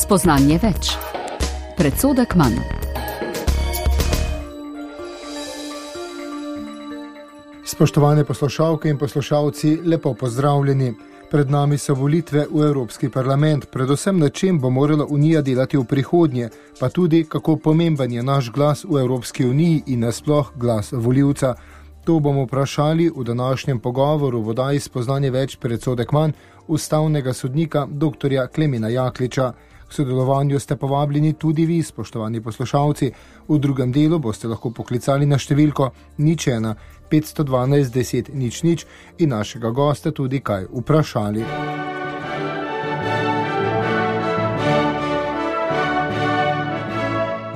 Spoznanje več. Predsodek manj. Spoštovane poslušalke in poslušalci, lepo pozdravljeni. Pred nami so volitve v Evropski parlament, predvsem na čem bo morala Unija delati v prihodnje, pa tudi kako pomemben je naš glas v Evropski uniji in nasploh glas volivca. To bomo vprašali v današnjem pogovoru v oddaji Spoznanje več predsodek manj ustavnega sodnika dr. Klemena Jakliča. K sodelovanju ste povabljeni tudi vi, spoštovani poslušalci. V drugem delu boste lahko poklicali na številko 01 512 10 00 in našega gosta tudi kaj vprašali.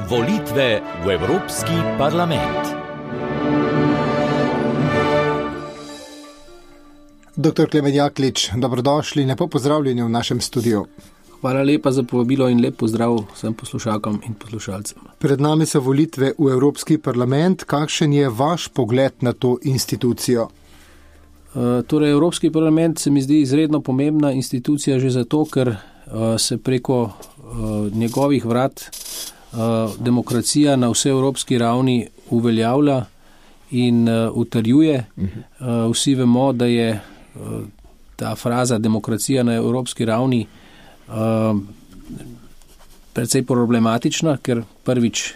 Volitve v Evropski parlament. Dr. Klemen Jaklič, dobrodošli, lepo pozdravljeni v našem studiu. Hvala lepa za povabilo in lep pozdrav vsem poslušalkam in poslušalcem. Pred nami so volitve v Evropski parlament. Kakšen je vaš pogled na to institucijo? Torej, Evropski parlament se mi zdi izredno pomembna institucija že zato, ker se preko njegovih vrat demokracija na vseevropski ravni uveljavlja in utrjuje. Vsi vemo, da je ta fraza demokracija na evropski ravni precej problematična, ker prvič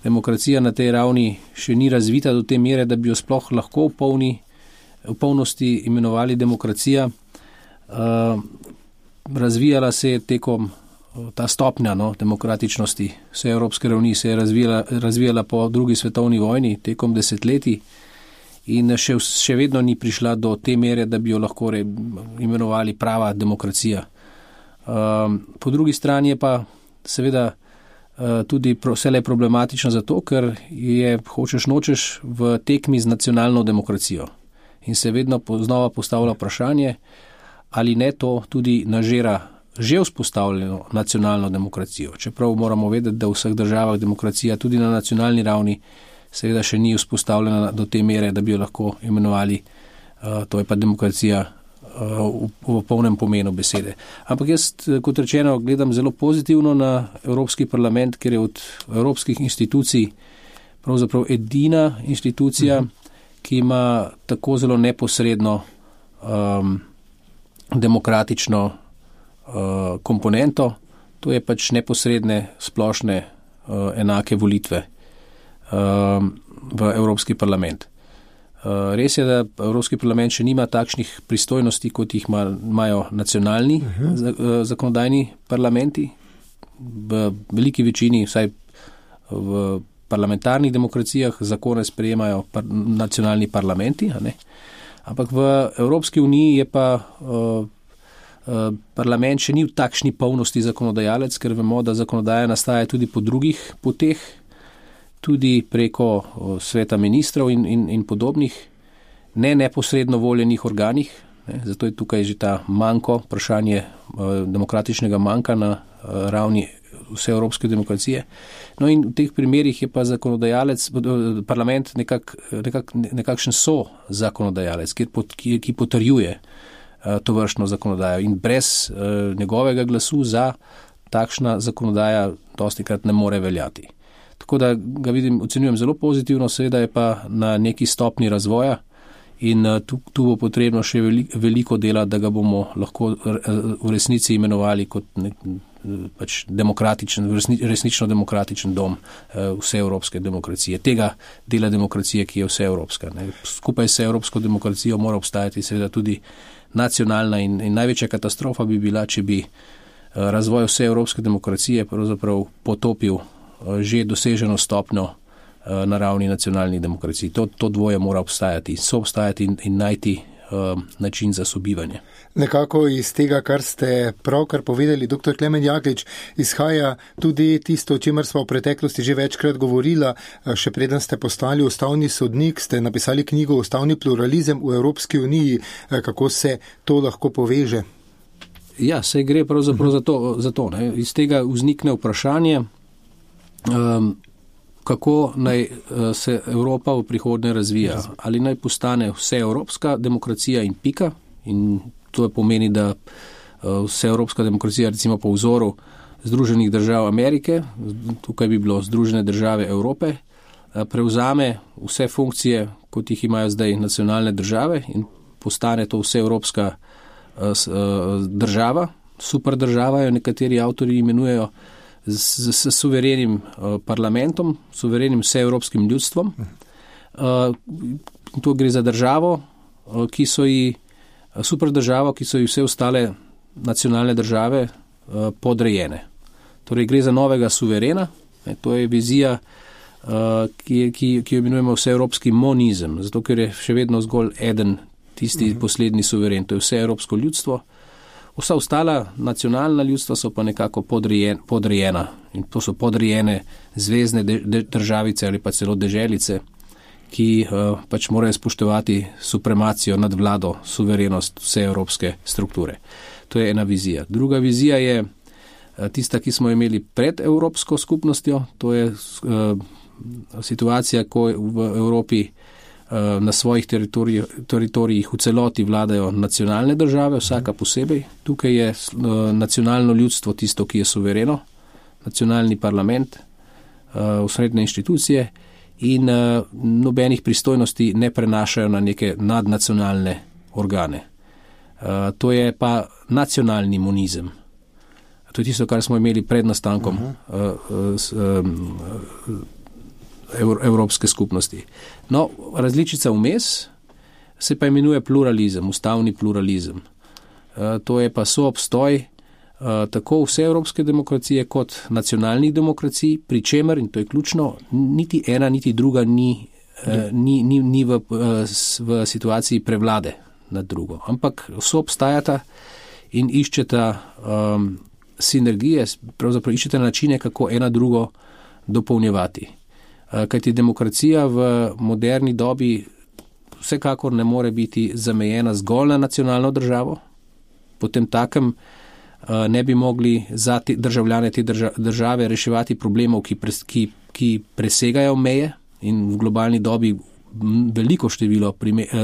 demokracija na tej ravni še ni razvita do te mere, da bi jo sploh lahko v polnosti imenovali demokracija. Razvijala se je tekom ta stopnja demokratičnosti vse evropske ravni se je razvijala po drugi svetovni vojni tekom desetletij in še vedno ni prišla do te mere, da bi jo lahko imenovali prava demokracija. Po drugi strani je pa seveda tudi vselej problematično zato, ker je hočeš nočeš v tekmi z nacionalno demokracijo in se vedno znova postavlja vprašanje, ali ne to tudi nažira že vzpostavljeno nacionalno demokracijo. Čeprav moramo vedeti, da v vseh državah demokracija tudi na nacionalni ravni seveda še ni vzpostavljena do te mere, da bi jo lahko imenovali, to je pa demokracija v polnem pomenu besede. Ampak jaz, kot rečeno, gledam zelo pozitivno na Evropski parlament, ker je od evropskih institucij pravzaprav edina institucija, ki ima tako zelo neposredno demokratično komponento, to je pač neposredne, splošne, enake volitve v Evropski parlament. Res je, da Evropski parlament še nima takšnih pristojnosti, kot jih imajo nacionalni zakonodajni parlamenti. V veliki večini, vsaj v parlamentarnih demokracijah, zakone sprejemajo nacionalni parlamenti, a ne? Ampak v Evropski uniji je pa parlament še ni v takšni polnosti zakonodajalec, ker vemo, da zakonodaja nastaja tudi po drugih poteh, tudi preko sveta ministrov in podobnih, neposredno voljenih organih. Zato je tukaj že ta manko, vprašanje demokratičnega manka na ravni vse evropske demokracije. No in v teh primerih je pa zakonodajalec, parlament nekakšen zakonodajalec, ki potrjuje to vrstno zakonodajo in brez njegovega glasu za takšna zakonodaja dostikrat ne more veljati. Tako da ga ocenjujem zelo pozitivno, seveda je pa na neki stopni razvoja in tu bo potrebno še veliko dela, da ga bomo lahko v resnici imenovali kot pač demokratičen, resnično demokratičen dom vse evropske demokracije. Tega dela demokracije, ki je vse evropska. Skupaj s evropsko demokracijo mora obstajati seveda tudi nacionalna in največja katastrofa bi bila, če bi razvoj vse evropske demokracije pravzaprav potopil že doseženo stopnjo na ravni nacionalnih demokracij. To dvoje mora obstajati, soobstajati in najti način za sobivanje. Nekako iz tega, kar ste pravkar povedali, dr. Klemen Jaklič, izhaja tudi tisto, o čemer smo v preteklosti že večkrat govorila. Še preden ste postali ustavni sodnik, ste napisali knjigo Ustavni pluralizem v Evropski uniji. Kako se to lahko poveže? Ja, se gre pravzaprav za to. Iz tega vznikne vprašanje, kako naj se Evropa v prihodnje razvija. Ali naj postane vseevropska demokracija in pika. In to pomeni, da vseevropska demokracija recimo po vzoru Združenih držav Amerike, tukaj bi bilo Združene države Evrope, prevzame vse funkcije, kot jih imajo zdaj nacionalne države in postane to vseevropska država, super država jo nekateri avtori imenujejo, s suverenim parlamentom, suverenim vseevropskim ljudstvom. To gre za državo, super državo, ki so ji vse ostale nacionalne države podrejene. Torej gre za novega suverena, to je vizija, ki jo imenujemo vseevropski monizem, zato ker je še vedno zgolj eden tisti poslednji suveren, to je vseevropsko ljudstvo. Vsa ostala nacionalna ljudstva so pa nekako podrejena in to so podrejene zvezne državice ali pa celo deželice, ki pač morajo spoštovati supremacijo nad vlado, suverenost vseevropske strukture. To je ena vizija. Druga vizija je tista, ki smo imeli pred Evropsko skupnostjo, to je situacija, ko v Evropi na svojih teritorijih v celoti vladajo nacionalne države, vsaka posebej. Tukaj je nacionalno ljudstvo tisto, ki je suvereno, nacionalni parlament, osrednje inštitucije in nobenih pristojnosti ne prenašajo na neke nadnacionalne organe. To je pa nacionalni monizem. To je tisto, kar smo imeli pred nastankom Evropske skupnosti. No, različica vmes se pa imenuje pluralizem, ustavni pluralizem. To je pa soobstoj tako vseevropske demokracije kot nacionalnih demokracij, pri čemer, in to je ključno, niti ena, niti druga ni v situaciji prevlade nad drugo, ampak soobstajata in iščeta sinergije, pravzaprav iščeta načine, kako ena drugo dopolnjevati. Kajti demokracija v moderni dobi vsekakor ne more biti zamejena zgolj na nacionalno državo, potem takem ne bi mogli za te državljane te države reševati problemov, ki presegajo meje in v globalni dobi veliko število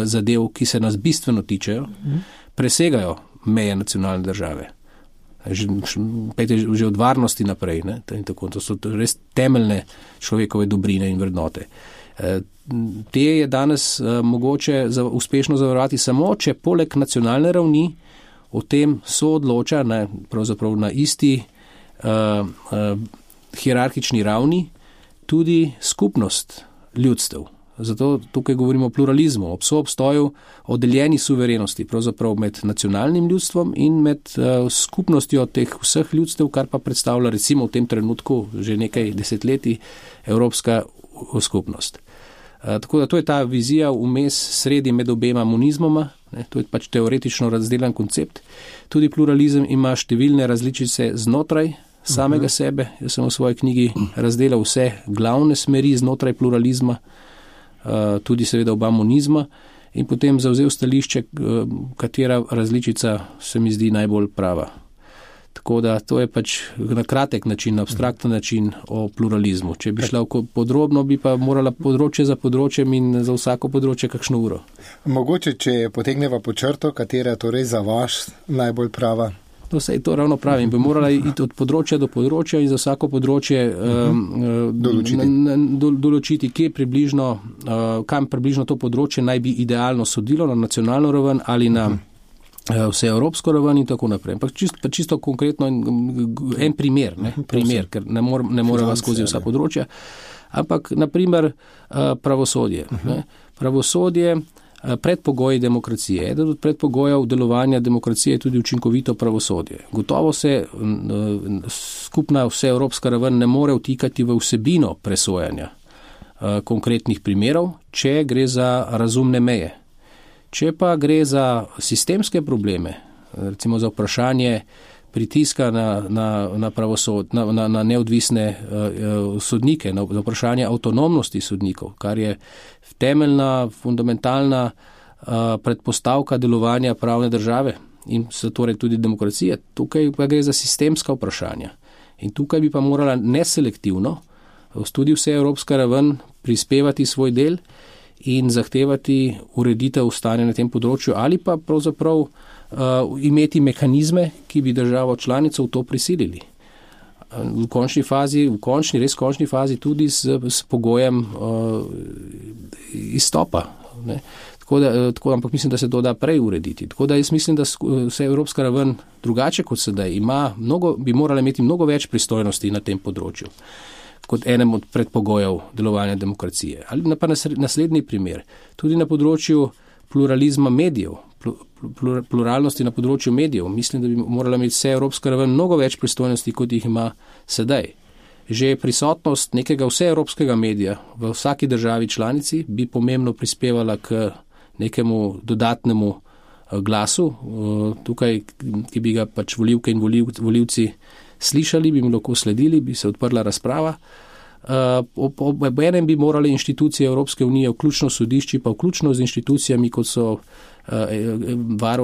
zadev, ki se nas bistveno tičejo, presegajo meje nacionalne države. Že od varnosti naprej. Ne? Tako, to so res temeljne človekove dobrine in vrednote. Te je danes mogoče uspešno zavarovati samo, če poleg nacionalne ravni o tem soodloča pravzaprav na isti hierarhični ravni tudi skupnost ljudstev. Zato tukaj govorimo o pluralizmu, o soobstoju, o deljeni suverenosti, pravzaprav med nacionalnim ljudstvom in med skupnostjo teh vseh ljudstev, kar pa predstavlja recimo v tem trenutku že nekaj desetletij Evropska skupnost. Tako da to je ta vizija vmes sredi med obema monizmoma, to je pač teoretično razdelan koncept. Tudi pluralizem ima številne različice znotraj samega sebe. Jaz sem v svoji knjigi razdelal vse glavne smeri znotraj pluralizma, tudi seveda oba monizma in potem zavzel stališče, katera različica se mi zdi najbolj prava. Tako da to je pač na kratek način, na abstrakten način o pluralizmu. Če bi šla podrobno, bi pa morala področje za področjem in za vsako področje kakšno uro. Mogoče, če potegneva po črto, katera je torej za vaš najbolj prava? To se je to ravno pravim, bi morala iti od področja do področja in za vsako področje določiti, kam približno to področje naj bi idealno sodilo, na nacionalno raven ali na vseevropsko raven in tako naprej. Pa čisto konkretno en primer, ker ne moreva skozi vsa področja, ampak naprimer pravosodje. Pravosodje, predpogoji demokracije. Eden od predpogojev delovanja demokracije je tudi učinkovito pravosodje. Gotovo se skupna vseevropska raven ne more vtikati v vsebino presojanja konkretnih primerov, če gre za razumne meje. Če pa gre za sistemske probleme, recimo za vprašanje pritiska na pravosod, na neodvisne sodnike, na vprašanje avtonomnosti sodnikov, kar je temeljna, fundamentalna predpostavka delovanja pravne države in torej tudi demokracije. Tukaj pa gre za sistemska vprašanja. In tukaj bi pa morala neselektivno tudi vseevropska raven prispevati svoj del in zahtevati ureditev stanja na tem področju ali pa pravzaprav imeti mehanizme, ki bi državo članico v to prisilili. v končni fazi tudi s pogojem izstopa. Ne. Ampak mislim, da se to da prej urediti. Tako da jaz mislim, da vse evropska raven drugače kot sedaj bi morala imeti mnogo več pristojnosti na tem področju kot enem od predpogojev delovanja demokracije. Ali pa naslednji primer. Tudi na področju pluralizma medijev, pluralnosti na področju medijev, mislim, da bi morala imeti vse evropska raven mnogo več pristojnosti, kot jih ima sedaj. Že prisotnost nekega vseevropskega medija v vsaki državi članici bi pomembno prispevala k nekemu dodatnemu glasu, tukaj, ki bi ga pač volivke in volivci slišali, bi mu lahko sledili, bi se odprla razprava. Ob enem bi morali inštitucije Evropske unije, vključno sodišči, pa vključno z inštitucijami, kot so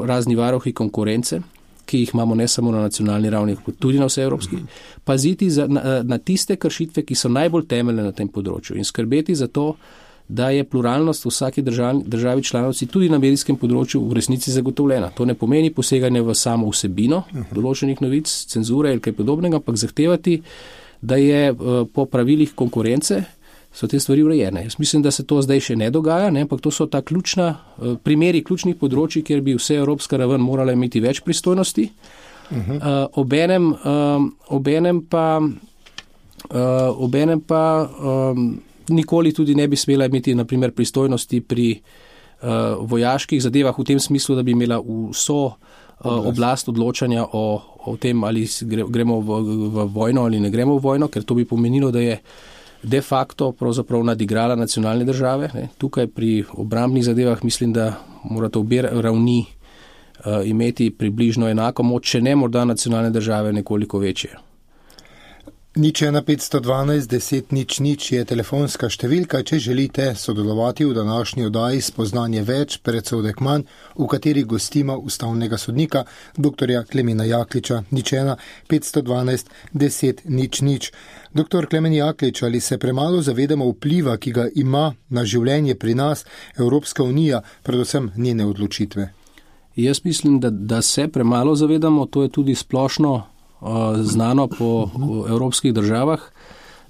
razni varuhi konkurence, ki jih imamo ne samo na nacionalni ravni, tudi na vseevropski, paziti na tiste kršitve, ki so najbolj temeljne na tem področju in skrbeti za to, da je pluralnost v vsaki državi članici tudi na medijskem področju v resnici zagotovljena. To ne pomeni poseganje v samo vsebino določenih novic, cenzure ali kaj podobnega, ampak zahtevati, da je po pravilih konkurence so te stvari urejene. Jaz mislim, da se to zdaj še ne dogaja, ampak to so ta primeri ključnih področji, kjer bi vse evropska raven morala imeti več pristojnosti. Obenem pa nikoli tudi ne bi smela imeti na primer pristojnosti pri vojaških zadevah v tem smislu, da bi imela vso oblast odločanja o tem, ali gremo v vojno ali ne gremo v vojno, ker to bi pomenilo, da je de facto pravzaprav nadigrala nacionalne države. Ne. Tukaj pri obrambnih zadevah mislim, da morate obe ravni imeti približno enako moč, če ne morda nacionalne države nekoliko večje. 01512 10 00 je telefonska številka, če želite sodelovati v današnji oddaji Spoznanje več, predsodek manj, v kateri gostimo ustavnega sodnika dr. Klemena Jakliča. 01512 10 00. Dr. Klemen Jaklič, ali se premalo zavedamo vpliva, ki ga ima na življenje pri nas Evropska unija, predvsem njene odločitve? Jaz mislim, da se premalo zavedamo, to je tudi splošno znano po evropskih državah,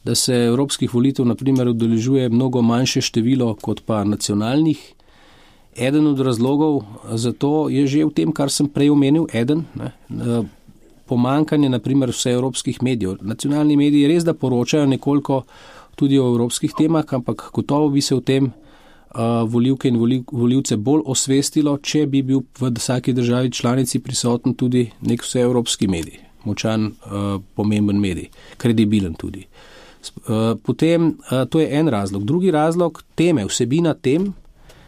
da se evropskih volitev na primer udeležuje mnogo manjše število kot pa nacionalnih. Eden od razlogov za to je že v tem, kar sem prej omenil, pomankanje na primer vse evropskih medijev. Nacionalni mediji res da poročajo nekoliko tudi o evropskih temah, ampak gotovo bi se v tem volivke in volivce bolj osvestilo, če bi bil v vsaki državi članici prisoten tudi nek vseevropski medij. Močan, pomemben medij, kredibilen tudi. Potem, to je en razlog. Drugi razlog, teme, vsebina tem,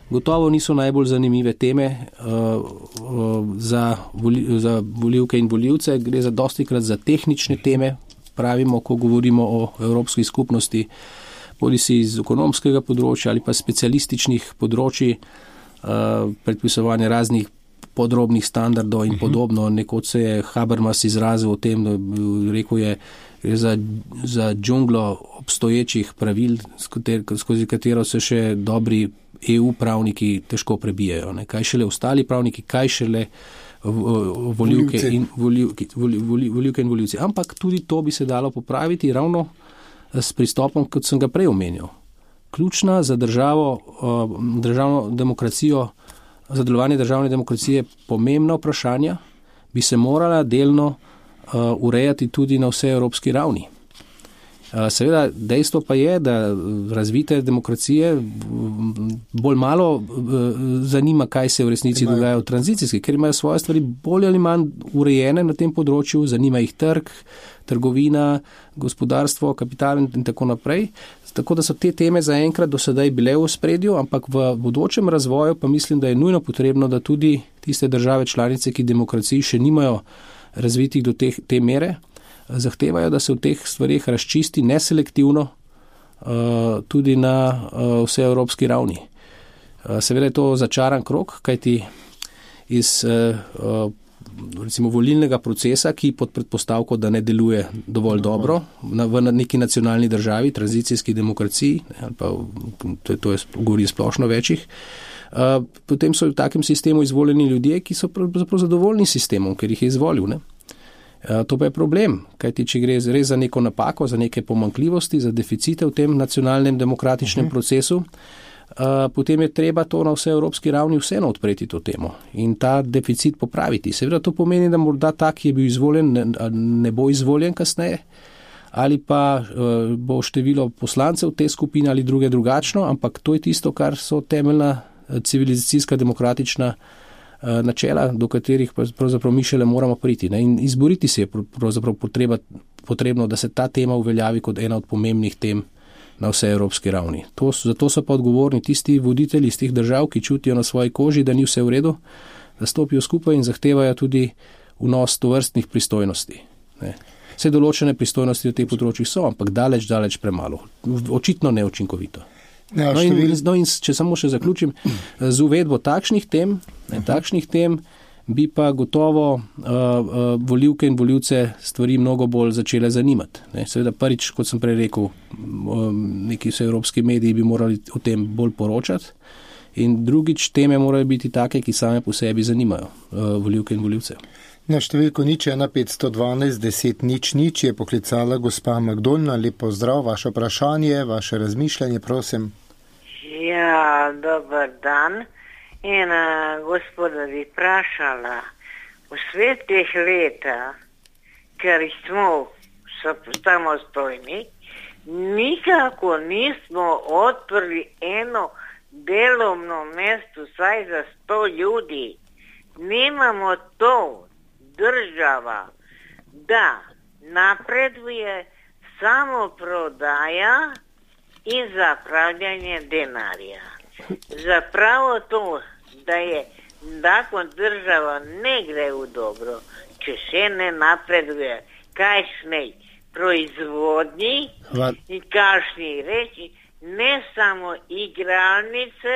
gotovo niso najbolj zanimive teme za volivke in volivce, gre za dostikrat za tehnične teme, pravimo, ko govorimo o evropski skupnosti, bodisi iz ekonomskega področja ali pa specialističnih področji, predpisovanje raznih podrobnih standardov in podobno. Nekoč se je Habermas izrazil o tem, da rekel je za džunglo obstoječih pravil, skozi katero se še dobri EU pravniki težko prebijajo. Ne. Kaj šele ostali pravniki, kaj šele volivke in volivci. Ampak tudi to bi se dalo popraviti ravno s pristopom, kot sem ga prej omenil. Ključna za državno demokracijo, za delovanje državne demokracije pomembna vprašanja bi se morala delno urejati tudi na vse evropski ravni. Seveda, dejstvo pa je, da razvite demokracije bolj malo zanima, kaj se v resnici dogaja v tranzicijski, ker imajo svoje stvari bolj ali manj urejene na tem področju, zanima jih trg, trgovina, gospodarstvo, kapital in tako naprej. Tako da so te teme zaenkrat do sedaj bile v ospredju, ampak v bodočem razvoju pa mislim, da je nujno potrebno, da tudi tiste države članice, ki demokraciji še nimajo razvitih do te mere, zahtevajo, da se v teh stvarih razčisti neselektivno tudi na vseevropski ravni. Seveda je to začaran krog, kajti iz recimo volilnega procesa, ki pod predpostavko, da ne deluje dovolj dobro v neki nacionalni državi, tranzicijski demokraciji, ali pa to govori splošno večjih, potem so v takem sistemu izvoljeni ljudje, ki so pravzaprav zadovoljni s sistemom, ker jih je izvolil. Ne? To pa je problem, kajti če gre res za neko napako, za neke pomanjkljivosti, za deficite v tem nacionalnem demokratičnem procesu, potem je treba to na vse evropski ravni vseeno odpreti to temo in ta deficit popraviti. Seveda to pomeni, da morda ta, ki je bil izvoljen, ne bo izvoljen kasneje, ali pa bo število poslancev te skupine ali drugačno, ampak to je tisto, kar so temeljna civilizacijska demokratična načela, do katerih pravzaprav mi šele moramo priti. Ne? In izboriti se je pravzaprav potrebno, da se ta tema uveljavi kot ena od pomembnih tem na vse evropski ravni. Zato so pa odgovorni tisti voditelji iz teh držav, ki čutijo na svoji koži, da ni vse v redu, da stopijo skupaj in zahtevajo tudi vnos tovrstnih pristojnosti. Ne? Vse določene pristojnosti v teh področjih so, ampak daleč premalo. Očitno neučinkovito. Ja, in če samo še zaključim, z uvedbo takšnih tem bi pa gotovo volivke in volivce stvari mnogo bolj začele zanimati. Seveda prvič, kot sem prej rekel, neki vseevropski mediji bi morali o tem bolj poročati in drugič teme morajo biti take, ki same po sebi zanimajo volivke in volivce. Na številko 01512 10 00 je poklicala gospa Magdolna. Lep pozdrav, vaše vprašanje, vaše razmišljanje, prosim. Ja, dober dan. In gospoda bi vprašala, v svetih leta, ker smo samostojni, nikako nismo odprli eno delovno mesto vsaj za 100 ljudi. Nimamo to država, da napreduje samo prodaja in zapravljanje denarja. Zapravo to, da je nakon država ne gre v dobro, če še ne napreduje kakšnej proizvodnji in kakšni reči, ne samo igralnice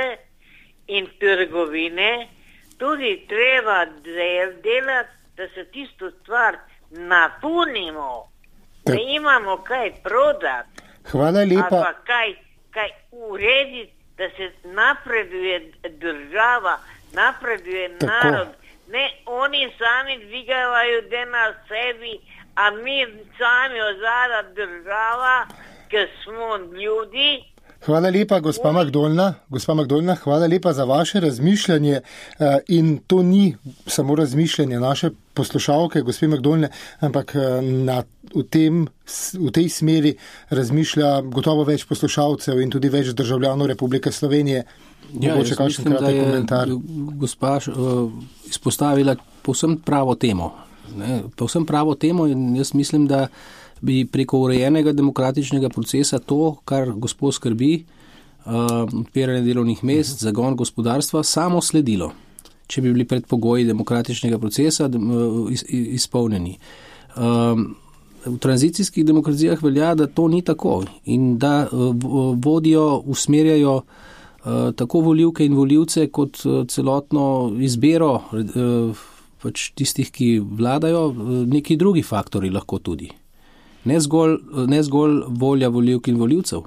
in trgovine, tudi treba delati, da se tisto stvar napolnimo, da imamo kaj prodati. Hvala lepa. Ali pa kaj urediti, da se napreduje država, napreduje narod. Ne, oni sami dvigajo denar sebi, a mi sami ozada država, ker smo ljudi. Hvala lepa, gospa Magdolna. Gospa Magdolna, hvala lepa za vaše razmišljanje in to ni samo razmišljanje naše poslušalke, gospe Magdolne, ampak v tej smeri razmišlja gotovo več poslušalcev in tudi več državljanov Republike Slovenije. Jaz mislim, da je komentar. Gospa izpostavila povsem pravo temo. Povsem pravo temo in jaz mislim, da bi preko urejenega demokratičnega procesa to, kar gospod skrbi, odpiranje delovnih mest, zagon gospodarstva, samo sledilo, če bi bili predpogoji demokratičnega procesa izpolnjeni. V tranzicijskih demokracijah velja, da to ni tako in da vodijo, usmerjajo tako volivke in volivce kot celotno izbiro pač tistih, ki vladajo, neki drugi faktori lahko tudi. Ne zgolj volja volivk in volivcev,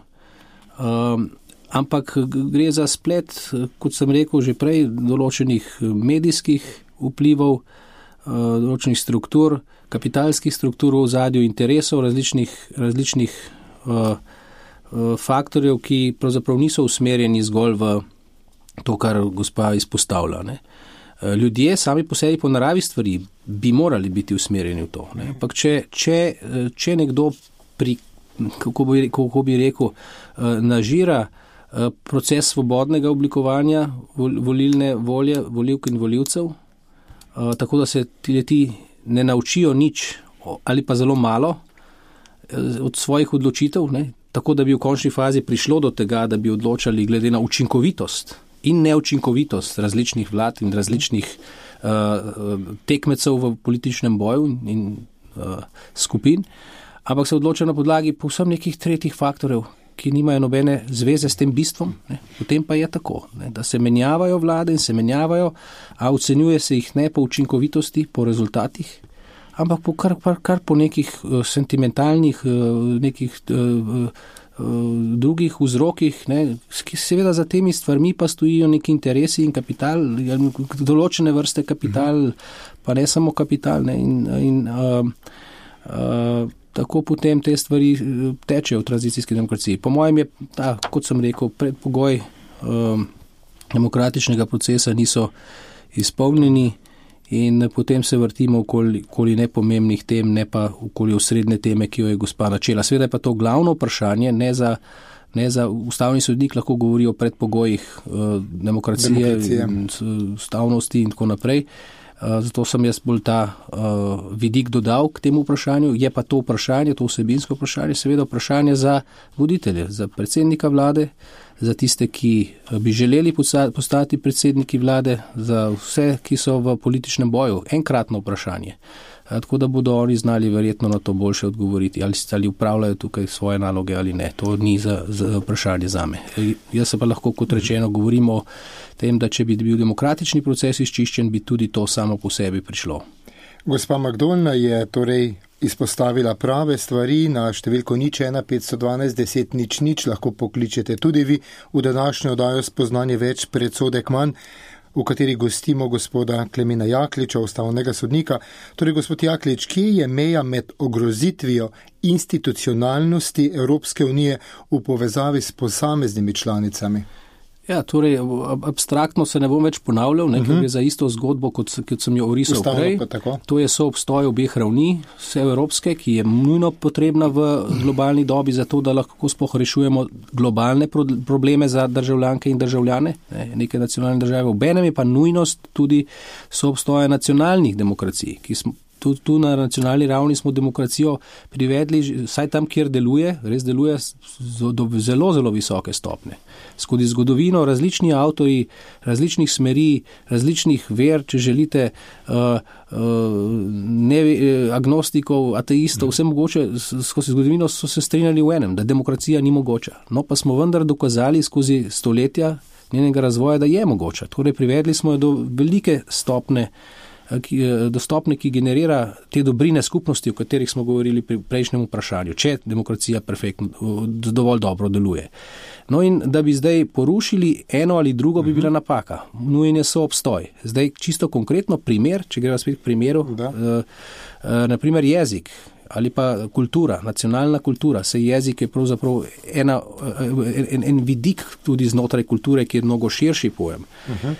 ampak gre za splet, kot sem rekel že prej, določenih medijskih vplivov, določenih struktur, kapitalskih struktur v ozadju interesov, različnih faktorjev, ki pravzaprav niso usmerjeni zgolj v to, kar gospa izpostavlja. Ne. Ljudje sami po sebi po naravi stvari bi morali biti usmerjeni v to. Ne. Ampak če nekdo kako bi rekel, nažira proces svobodnega oblikovanja volilne volje volivk in volivcev, tako da se ti ne naučijo nič ali pa zelo malo od svojih odločitev, ne, tako da bi v končni fazi prišlo do tega, da bi odločali glede na učinkovitost in neučinkovitost različnih vlad in različnih tekmecev v političnem boju in skupin, ampak se odloča na podlagi povsem nekih tretjih faktorjev, ki nimajo nobene zveze s tem bistvom. Ne. Potem pa je tako, ne, da se menjavajo vlade in se menjavajo, a ocenjuje se jih ne po učinkovitosti, po rezultatih, ampak kar po nekih sentimentalnih, nekih drugih vzrokih, ne, seveda za temi stvarmi pa stojijo neki interesi in kapital, določene vrste kapital, pa ne samo kapital. Ne, in tako potem te stvari tečejo v tranzicijski demokraciji. Po mojem je, kot sem rekel, predpogoj demokratičnega procesa niso izpolnjeni in potem se vrtimo okoli nepomembnih tem, ne pa okoli osrednje teme, ki jo je gospa načela. Seveda je pa to glavno vprašanje, ne za ustavni sodnik lahko govori o predpogojih demokracije. Ustavnosti in tako naprej. Zato sem jaz bolj ta vidik dodal k temu vprašanju. Je pa to vprašanje, to vsebinsko vprašanje, seveda vprašanje za voditelje, za predsednika vlade, za tiste, ki bi želeli postati predsedniki vlade, za vse, ki so v političnem boju. Enkratno vprašanje. Tako da bodo oni znali verjetno na to boljše odgovoriti, ali upravljajo tukaj svoje naloge ali ne. To ni za vprašanje zame. Jaz se pa lahko, kot rečeno, govorim o tem, da če bi bil demokratični proces izčiščen, bi tudi to samo po sebi prišlo. Gospa Magdolna je torej izpostavila prave stvari. Na številko 01512 10 00 lahko pokličete tudi vi v današnjo oddajo Spoznanje več, predsodek manj, v kateri gostimo gospoda Klemena Jakliča, ustavnega sodnika. Torej, gospod Jaklič, kje je meja med ogrozitvijo institucionalnosti Evropske unije v povezavi s posameznimi članicami? Ja, torej, abstraktno se ne bom več ponavljal, ker je za isto zgodbo, kot sem jo orisal prej. To je soobstoj obeh ravni, vse evropske, ki je nujno potrebna v globalni dobi, zato da lahko sploh rešujemo globalne probleme za državljanke in državljane, neke nacionalne države. Obenem je pa nujnost tudi soobstoja nacionalnih demokracij, ki smo tu na nacionalni ravni smo demokracijo privedli, vsaj tam, kjer deluje, res deluje do zelo, zelo visoke stopne. Skozi zgodovino različni avtori, različnih smeri, različnih ver, če želite, agnostikov, ateistov, vse mogoče, skozi zgodovino so se strinjali v enem, da demokracija ni mogoča. No, pa smo vendar dokazali skozi stoletja njenega razvoja, da je mogoča. Torej, privedli smo jo do velike stopne, ki generira te dobrine skupnosti, o katerih smo govorili pri prejšnjem vprašanju, če demokracija dovolj dobro deluje. No in da bi zdaj porušili eno ali drugo, bi bila napaka. Nujen je soobstoj. Zdaj čisto konkretno primer, če greva spet k primeru, naprimer jezik ali pa kultura, nacionalna kultura, se jezik je pravzaprav en vidik tudi znotraj kulture, ki je mnogo širši pojem.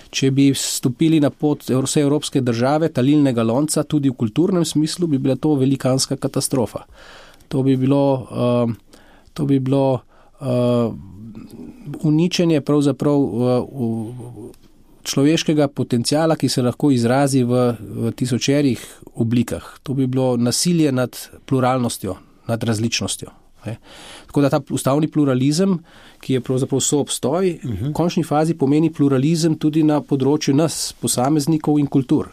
Če bi stopili na pot vse evropske države, talilnega lonca, tudi v kulturnem smislu, bi bila to velikanska katastrofa. To bi bilo uničenje pravzaprav človeškega potencijala, ki se lahko izrazi v tisočerih oblikah. To bi bilo nasilje nad pluralnostjo, nad različnostjo. Tako da ta ustavni pluralizem, ki je pravzaprav soobstoj, v končni fazi pomeni pluralizem tudi na področju nas, posameznikov in kultur.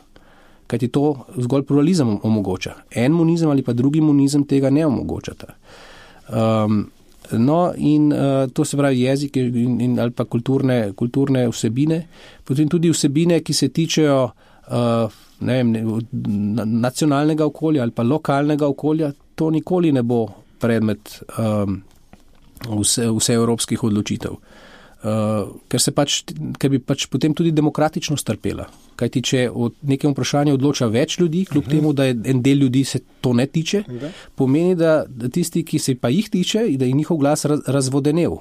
Kajti to zgolj pluralizem omogoča. En monizem ali pa drugi monizem tega ne omogočata. No in to se pravi jezik ali pa kulturne vsebine, potem tudi vsebine, ki se tičejo nacionalnega okolja ali pa lokalnega okolja, to nikoli ne bo predmet vse evropskih odločitev. Ker bi potem tudi demokratičnost trpela. Kajti, če o nekem vprašanju odloča več ljudi, kljub temu, da en del ljudi se to ne tiče, pomeni, da tisti, ki se pa jih tiče, da je njihov glas razvodenel.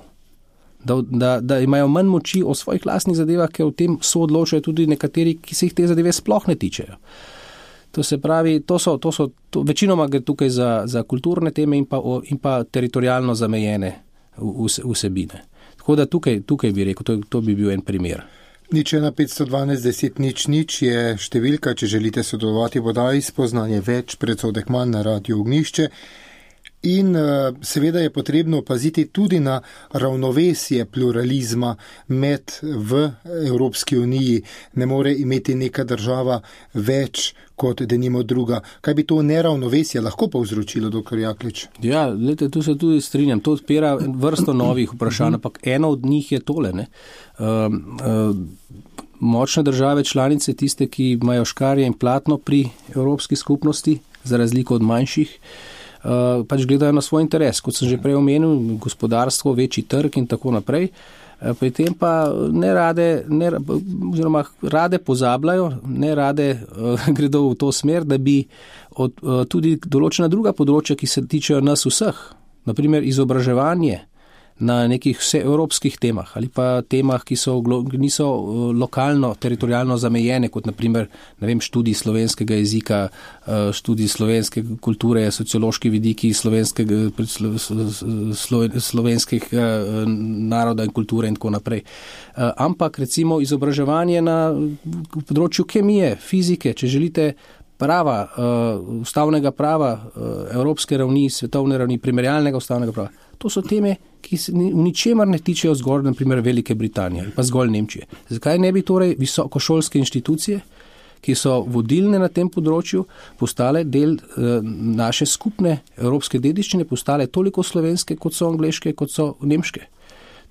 Da imajo manj moči o svojih lastnih zadevah, ker o tem soodločajo tudi nekateri, ki se jih te zadeve sploh ne tičejo. To se pravi, to večinoma gre tukaj za kulturne teme in pa teritorijalno zamejene vsebine. Tako da tukaj bi rekel, to bi bil en primer. 01512 10 00 je številka, če želite sodelovati v oddaji Spoznanje več, predsodek manj na Radiu Ognjišče. In seveda je potrebno paziti tudi na ravnovesje pluralizma v Evropski uniji. Ne more imeti neka država več kot denimo druga. Kaj bi to neravnovesje lahko povzročilo, dr. Jaklič? Ja, gledajte, tu se tudi strinjam. To odpira vrsto novih vprašanj, ampak eno od njih je tole. Močne države članice, tiste, ki imajo škarje in platno pri Evropski skupnosti, za razliko od manjših, pač gledajo na svoj interes, kot sem že prej omenil, gospodarstvo, večji trg in tako naprej. Pri tem pa rade pozabljajo, ne rade gredo v to smer, da bi tudi določena druga področja, ki se tičejo nas vseh, naprimer izobraževanje na nekih vseevropskih temah ali pa temah, ki niso lokalno, teritorijalno zamejene, kot naprimer, študij slovenskega jezika, študij slovenske kulture, sociološki vidiki slovenskih naroda in kulture in tako naprej. Ampak recimo izobraževanje na področju kemije, fizike, če želite, prava, ustavnega prava, evropske ravni, svetovne ravni, primerjalnega ustavnega prava. To so teme, ki se v ničemer ne tičejo zgolj, naprimer, Velike Britanije ali pa zgolj Nemčije. Zakaj ne bi torej visokošolske inštitucije, ki so vodilne na tem področju, postale del naše skupne evropske dediščine, postale toliko slovenske, kot so angleške, kot so nemške?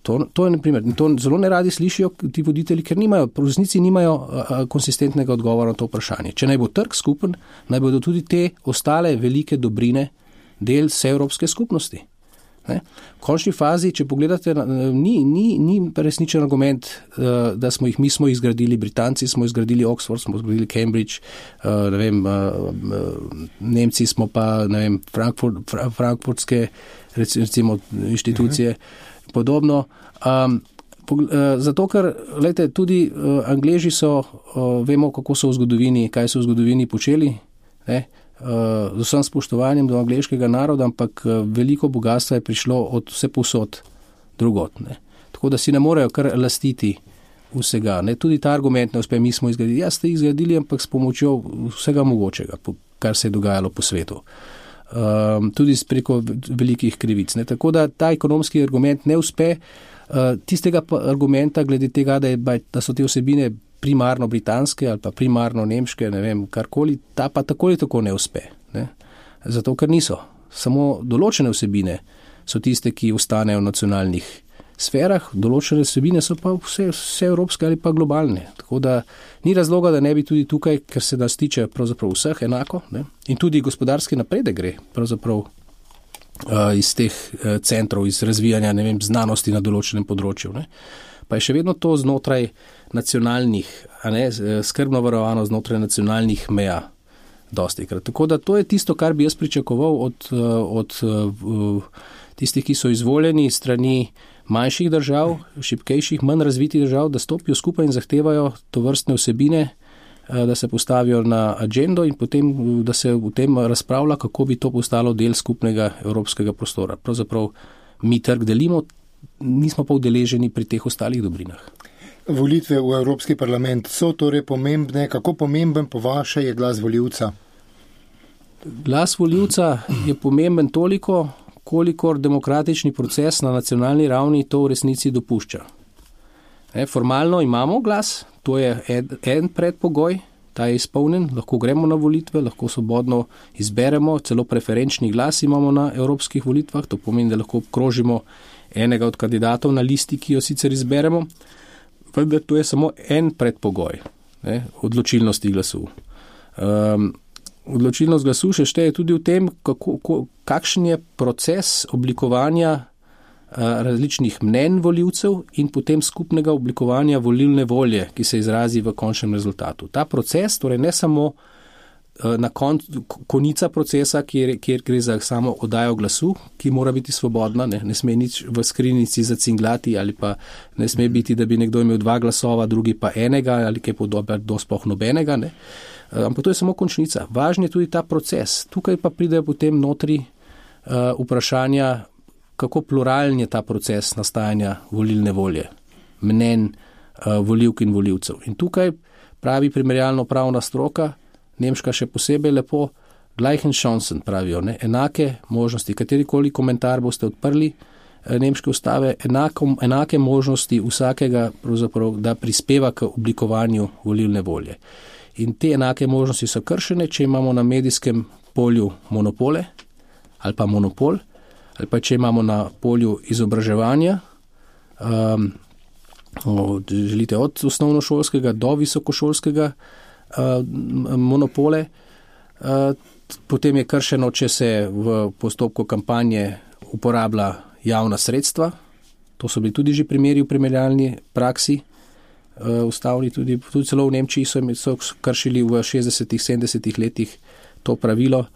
To je, naprimer, to zelo neradi slišijo ti voditelji, ker v resnici nimajo konsistentnega odgovora na to vprašanje. Če naj bo trg skupen, naj bodo tudi te ostale velike dobrine del vse evropske skupnosti. Ne? V končni fazi, če pogledate, ni resničen argument, da mi smo jih zgradili, Britanci smo jih zgradili, Oxford smo zgradili, Cambridge, Nemci smo pa, frankfurtske recimo inštitucije, podobno. Zato, ker tudi Angleži vemo, kako so v zgodovini, kaj so v zgodovini počeli, ne? Z vsem spoštovanjem do angleškega naroda, ampak veliko bogatstva je prišlo od vse povsod drugot. Ne? Tako da si ne morejo kar lastiti vsega. Ne? Tudi ta argument ne uspe, mi smo jih zgradili. Ja, ste jih zgradili, ampak s pomočjo vsega mogočega, kar se je dogajalo po svetu. Tudi preko velikih krivic. Ne? Tako da ta ekonomski argument ne uspe. Tistega argumenta glede tega, da so te vsebine primarno britanske ali pa primarno nemške, karkoli, ta pa tako ali tako ne uspe. Ne? Zato, ker niso. Samo določene vsebine so tiste, ki ostanejo v nacionalnih sferah, določene vsebine so pa vse evropske ali pa globalne. Tako da ni razloga, da ne bi tudi tukaj, ker se nas tiče pravzaprav vseh enako, ne? In tudi gospodarski napredek gre pravzaprav iz teh centrov, iz razvijanja znanosti na določenem področju. Ne? Pa je še vedno to znotraj nacionalnih, skrbno varovano znotraj nacionalnih meja dostikrat. Tako da to je tisto, kar bi jaz pričakoval od tistih, ki so izvoljeni strani manjših držav, šibkejših, manj razvitih držav, da stopijo skupaj in zahtevajo tovrstne vsebine, da se postavijo na agendo in potem, da se v tem razpravlja, kako bi to postalo del skupnega evropskega prostora. Pravzaprav mi trg delimo, nismo pa udeleženi pri teh ostalih dobrinah. Volitve v Evropski parlament so torej pomembne. Kako pomemben po vaše je glas volivca? Glas volivca je pomemben toliko, kolikor demokratični proces na nacionalni ravni to v resnici dopušča. Formalno imamo glas, to je en predpogoj, ta je izpolnjen, lahko gremo na volitve, lahko svobodno izberemo, celo preferenčni glas imamo na evropskih volitvah, to pomeni, da lahko obkrožimo enega od kandidatov na listi, ki jo sicer izberemo, vendar to je samo en predpogoj, odločilnosti glasu. Odločilnost glasu še šteje tudi v tem, kakšen je proces oblikovanja različnih mnenj volivcev in potem skupnega oblikovanja volilne volje, ki se izrazi v končnem rezultatu. Ta proces, torej ne samo na konica procesa, kjer gre za samo oddajo glasu, ki mora biti svobodna, ne sme nič v skrinjici zacinglati ali pa ne sme biti, da bi nekdo imel 2 glasova, drugi pa enega ali kaj podobnega, do sploh nobenega. Ne. Ampak to je samo končnica. Važen je tudi ta proces. Tukaj pa pridejo potem notri vprašanja, kako pluralen je ta proces nastajanja volilne volje, mnenj volivk in volivcev. In tukaj pravi primerjalno pravna stroka, nemška še posebej lepo, gleichen Chancen pravijo, enake možnosti, katerikoli komentar boste odprli nemške ustave, enake možnosti vsakega, da prispeva k oblikovanju volilne volje. In te enake možnosti so kršene, če imamo na medijskem polju monopole ali pa monopol, ali pa če imamo na polju izobraževanja, želite od osnovnošolskega do visokošolskega monopole. Potem je kršeno, če se v postopku kampanje uporablja javna sredstva. To so bili tudi že primeri v primerjalni praksi. Ustavni tudi celo v Nemčiji so kršili v 60-70 letih to pravilo,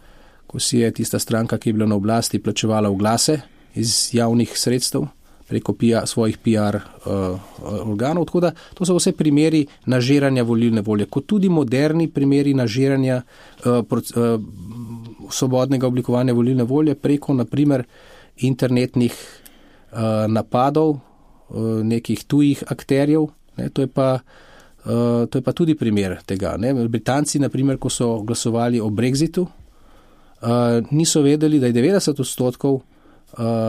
ko si je tista stranka, ki je bila na oblasti, plačevala oglase iz javnih sredstev preko svojih PR organov. Tako da to so vse primeri nažiranja volilne volje, kot tudi moderni primeri nažiranja svobodnega oblikovanja volilne volje preko, naprimer, internetnih napadov nekih tujih akterjev. To je pa tudi primer tega. Britanci, naprimer, ko so glasovali o Brexitu, niso vedeli, da je 90%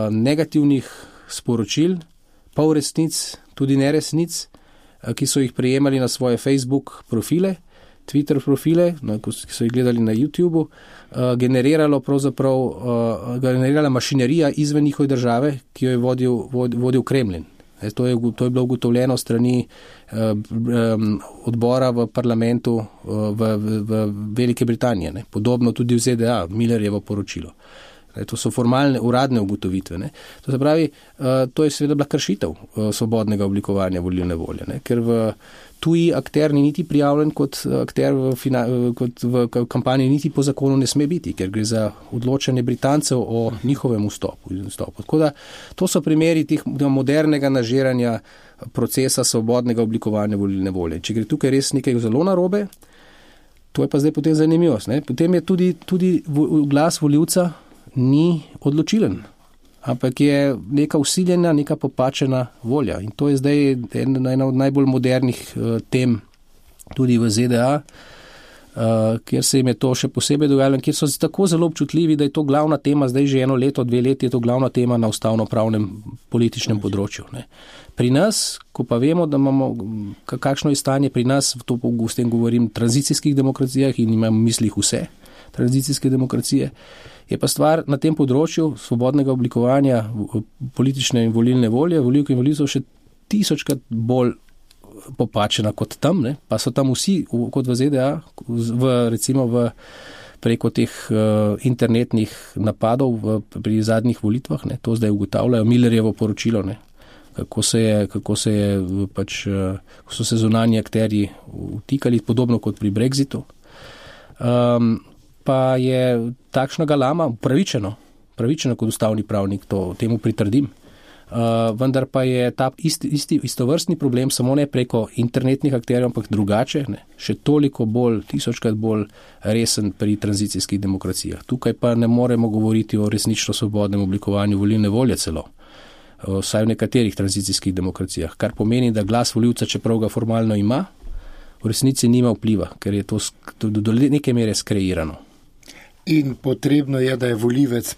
negativnih sporočil, pol resnic, tudi neresnic, ki so jih prejemali na svoje Facebook profile, Twitter profile, ki so jih gledali na YouTubeu, generirala mašinerija izven njihove države, ki jo je vodil Kremlin. To je bilo ugotovljeno strani odbora v parlamentu v Velike Britanije. Podobno tudi v ZDA, Millerjevo poročilo. To so formalne, uradne ugotovitve. To se pravi, to je seveda bila kršitev svobodnega oblikovanja volilne volje, ker v tuji akter ni niti prijavljen kot akter kot v kampanji, niti po zakonu ne sme biti, ker gre za odločanje Britancev o njihovem vstopu. Tako da to so primeri teh modernega nažiranja procesa svobodnega oblikovanja volilne volje. Če gre tukaj res nekaj zelo narobe, to je pa zdaj potem zanimivost. Potem je tudi glas volivca ni odločilen, ampak je neka vsiljena, neka popačena volja. In to je zdaj ena od najbolj modernih tem tudi v ZDA, kjer se jim je to še posebej dogajalo, kjer so tako zelo občutljivi, da je to glavna tema, zdaj že 1 leto, 2 leti je to glavna tema na ustavno-pravnem političnem področju. Pri nas, ko pa vemo, da imamo, kakšno je stanje pri nas, to s tem govorim, tranzicijskih demokracijah in imam v mislih vse tranzicijske demokracije, je pa stvar na tem področju svobodnega oblikovanja politične in volilne volje, volivk in volivcev še 1000krat bolj popačena kot tam, pa so tam vsi, kot v ZDA, recimo preko teh internetnih napadov pri zadnjih volitvah, to zdaj ugotavljajo, Millerjevo poročilo, kako so se zunanji akterji vtikali, podobno kot pri Brexitu. Pa je takšna galama pravičeno kot ustavni pravnik, temu pritrdim. Vendar pa je ta istovrstni problem samo ne preko internetnih akterjev, ampak drugače, še toliko bolj, 1000krat bolj resen pri tranzicijskih demokracijah. Tukaj pa ne moremo govoriti o resnično svobodnem oblikovanju volilne volje celo, vsaj v nekaterih tranzicijskih demokracijah, kar pomeni, da glas volivca, čeprav ga formalno ima, v resnici nima vpliva, ker je to do neke mere skreirano. In potrebno je, da je volivec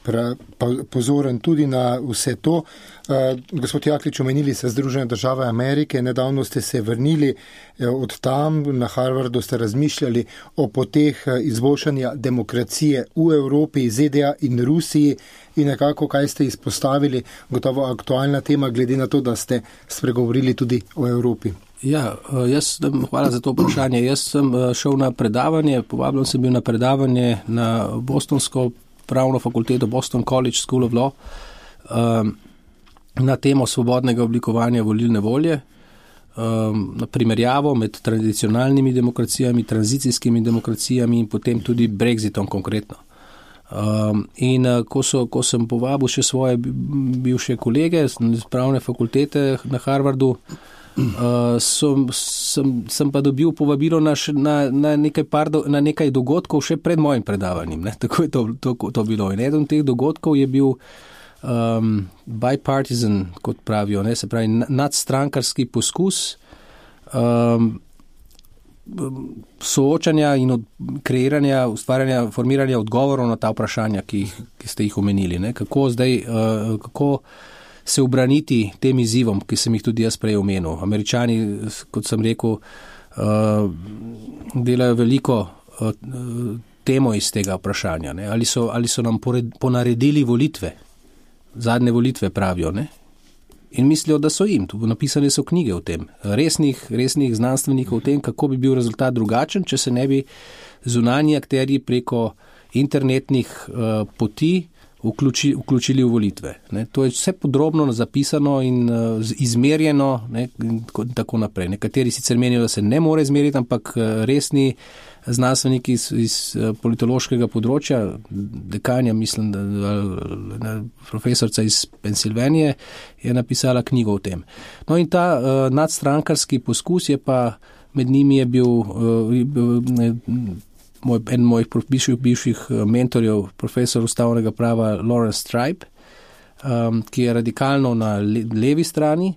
pozoren tudi na vse to. Gospod Jaklič, omenili ste Združene države Amerike, nedavno ste se vrnili od tam, na Harvardu ste razmišljali o poteh izboljšanja demokracije v Evropi, ZDA in Rusiji in nekako, kaj ste izpostavili, gotovo aktualna tema, glede na to, da ste spregovorili tudi o Evropi. Ja, hvala za to vprašanje. Jaz sem šel na predavanje, povabljen sem bil na predavanje na Bostonsko pravno fakulteto, Boston College School of Law, na temo svobodnega oblikovanja volilne volje, na primerjavo med tradicionalnimi demokracijami, tranzicijskimi demokracijami in potem tudi Brexitom konkretno. In ko sem povabil še svoje bivše kolege z pravne fakultete na Harvardu, sem pa dobil povabilo na nekaj dogodkov še pred mojim predavanjem. Tako je to bilo. In eden od teh dogodkov je bil bipartisan, kot pravijo, se pravi nadstrankarski poskus soočanja in kreiranja, ustvarjanja, formiranja odgovorov na ta vprašanja, ki ste jih omenili. Kako se ubraniti tem izzivom, ki sem jih tudi jaz prej omenil. Američani, kot sem rekel, delajo veliko temo iz tega vprašanja. Ali so nam ponaredili volitve, zadnje volitve pravijo, in mislijo, da so jim. Napisane so knjige o tem, resnih znanstvenikov o tem, kako bi bil rezultat drugačen, če se ne bi zunanji akterji preko internetnih poti vključili v volitve. Ne. To je vse podrobno zapisano in izmerjeno, ne, in tako naprej. Nekateri sicer menijo, da se ne more izmeriti, ampak resni znanstveniki iz politološkega področja, dekanja, mislim, da profesorca iz Pensilvanije je napisala knjigo o tem. No in ta nadstrankarski poskus je pa, med njimi je bil en mojih bivših mentorjev, profesor ustavnega prava Lawrence Tribe, ki je radikalno na levi strani.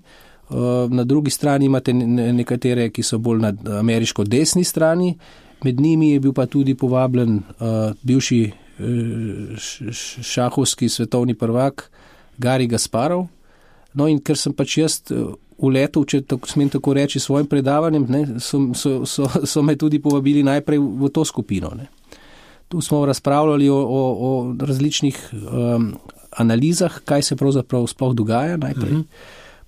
Na drugi strani imate nekatere, ki so bolj na ameriško desni strani. Med njimi je bil pa tudi povabljen bivši šahovski svetovni prvak Garry Kasparov. No in ker sem pač jaz uletel, če smem tako reči, svojim predavanjem, ne, so me tudi povabili najprej v to skupino. Ne. Tu smo razpravljali o različnih analizah, kaj se pravzaprav sploh dogaja najprej.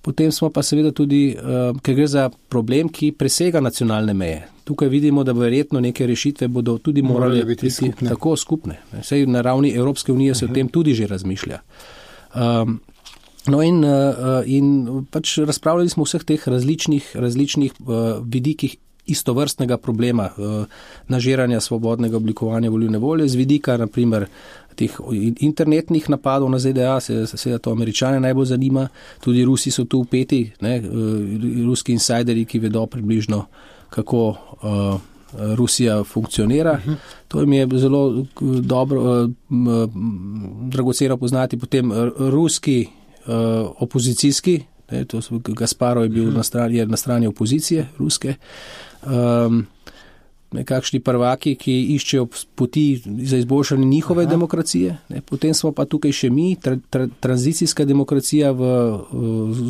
Potem smo pa seveda tudi, ker gre za problem, ki presega nacionalne meje. Tukaj vidimo, da verjetno neke rešitve bodo tudi morali biti tako skupne. Saj na ravni Evropske unije se o tem tudi že razmišlja. No in pač razpravljali smo o vseh teh različnih vidikih istovrstnega problema nažiranja svobodnega oblikovanja volilne volje, z vidika naprimer teh internetnih napadov na ZDA, seveda to Američane najbolj zanima, tudi Rusi so tu vpeti, ne, ruski insiderji, ki vedo približno, kako Rusija funkcionira. To mi je zelo dobro, dragoceno poznati. Potem ruski opozicijski, ne, to Kasparov je bil na strani opozicije ruske, nekakšni prvaki, ki iščejo poti za izboljšanje njihove demokracije. Ne. Potem smo pa tukaj še mi, tranzicijska demokracija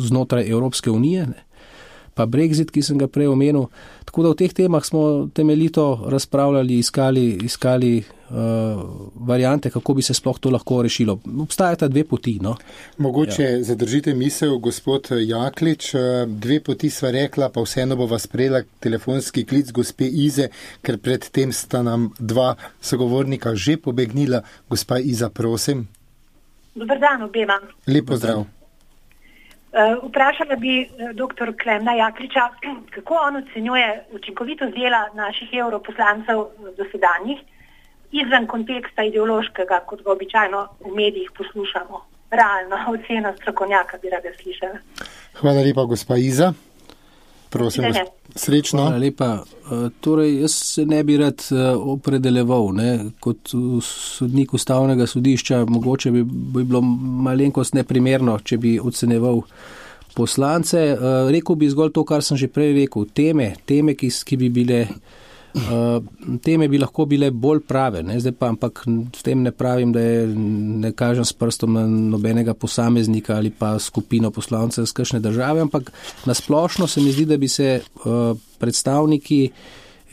znotraj Evropske unije, ne. Pa Brexit, ki sem ga prej omenil. Tako da v teh temah smo temeljito razpravljali, iskali variante, kako bi se sploh to lahko rešilo. Obstajata dve poti. No? Mogoče zadržite misel, gospod Jaklič, dve poti sva rekla, pa vseeno bova sprejela telefonski klic gospe Ize, ker pred tem sta nam dva sogovornika že pobegnila. Gospa Iza, prosim. Dobar dan obema. Lep pozdrav. Vprašala bi dr. Klemna Jakliča, kako on ocenjuje učinkovitost dela naših europoslancev dosedanjih izven konteksta ideološkega, kot ga običajno v medijih poslušamo. Realno ocena strokovnjaka bi rada slišala. Hvala lepa, gospa Iza. Prosim, srečno. Hvala lepa. Torej, jaz se ne bi rad opredeljeval, ne, kot sodnik ustavnega sodišča, mogoče bi bilo malenkost neprimerno, če bi oceneval poslance. Rekel bi zgolj to, kar sem že prej rekel. Teme, ki bi bile, teme bi lahko bile bolj prave, ne, zdaj pa, ampak s tem ne pravim, da ne kažem s prstom na nobenega posameznika ali pa skupino poslancev z kakšne države, ampak nasplošno se mi zdi, da bi se predstavniki,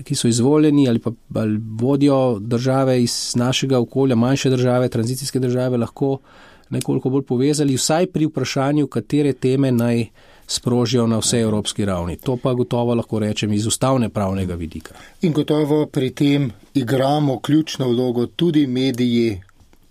ki so izvoljeni ali vodijo države iz našega okolja, manjše države, tranzicijske države, lahko nekoliko bolj povezali, vsaj pri vprašanju, katere teme naj sprožijo na vse evropski ravni. To pa gotovo lahko rečem iz ustavne pravnega vidika. In gotovo pri tem igramo ključno vlogo tudi mediji,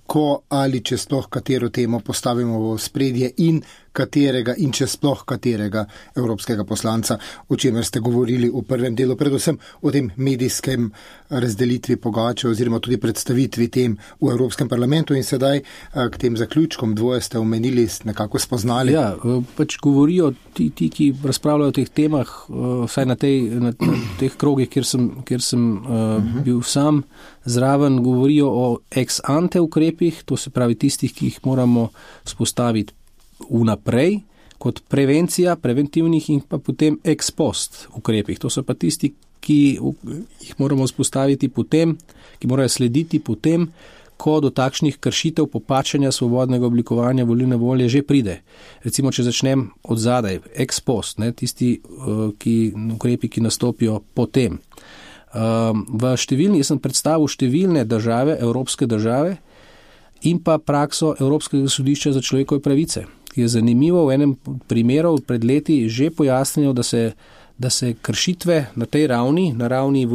ko ali če sploh katero temo postavimo v spredje in katerega in če sploh katerega evropskega poslanca, o čemer ste govorili v prvem delu, predvsem o tem medijskem razdelitvi pogače oziroma tudi predstavitvi tem v Evropskem parlamentu. In sedaj k tem zaključkom dvoje ste omenili, nekako spoznali. Ja, pač govorijo ti, ki razpravljajo o teh temah, vsaj na teh krogih, kjer sem bil sam zraven, govorijo o ex ante ukrepih, to se pravi tistih, ki jih moramo spostaviti vnaprej, kot prevencija, preventivnih in pa potem ex post ukrepih. To so pa tisti, ki jih moramo spostaviti potem, ki morajo slediti potem, ko do takšnih kršitev popačanja svobodnega oblikovanja volilne volje že pride. Recimo, če začnem od zadaj, ex post, ne, tisti ukrepi, ki nastopijo potem. Jaz sem predstavil številne države, evropske države in pa prakso Evropskega sodišča za človekove pravice, ki je zanimivo v enem primeru pred leti že pojasnilo, da se kršitve na tej ravni, na ravni